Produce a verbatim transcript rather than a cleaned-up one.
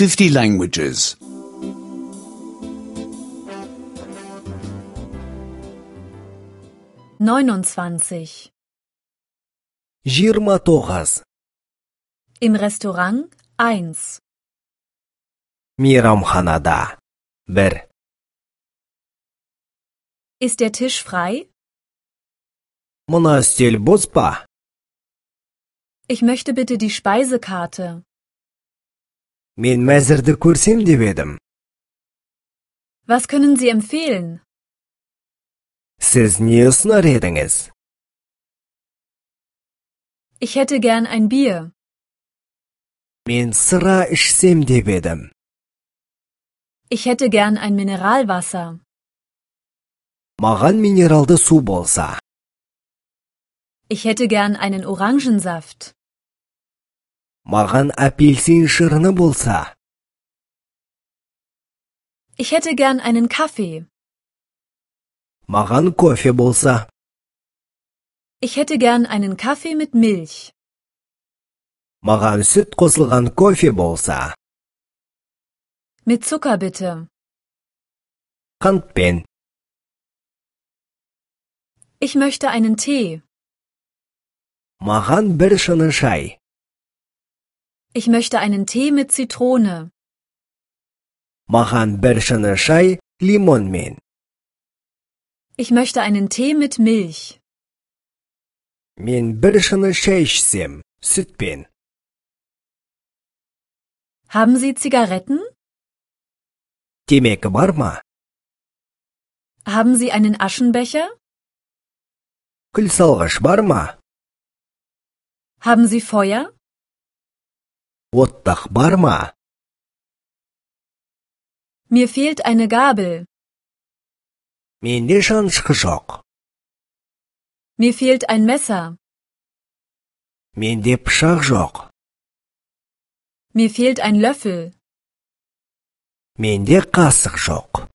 fifty languages. neunundzwanzig. жиырма тогыз. Im Restaurant eins. Мейрамханада bir. Ist der Tisch frei? Мына үстел бос па? Ich möchte bitte die Speisekarte. Мен мәзірді көрсем деп едім. Was können Sie empfehlen? Сіз не ұсынар едіңіз? Ich hätte gern ein Bier. Мен сыра ішсем деп едім. Ich hätte gern ein Mineralwasser. Маған минералды су болса. Ich hätte gern einen Orangensaft. Маған апельсин шырыны болса. Ich hätte gern einen Kaffee. Маған кофе болса. Ich hätte gern einen Kaffee mit Milch. Маған сүт қосылған кофе болса. Mit Zucker bitte. Қантпен. Ich möchte einen Tee. Маған бір шыны шай. Ich möchte einen Tee mit Zitrone. Маған бір шыны шай лимонмен. Ich möchte einen Tee mit Milch. Мен бір шыны шай ішсем, сүтпен. Haben Sie Zigaretten? Темекі бар ма? Haben Sie einen Aschenbecher? Күл салғыш бар ма? Haben Sie Feuer? Оттық бар ма? Mir fehlt eine Gabel. Менде шанышқы жоқ. Mir fehlt ein Messer. Менде пышақ жоқ. Mir fehlt ein Löffel. Менде қасық жоқ.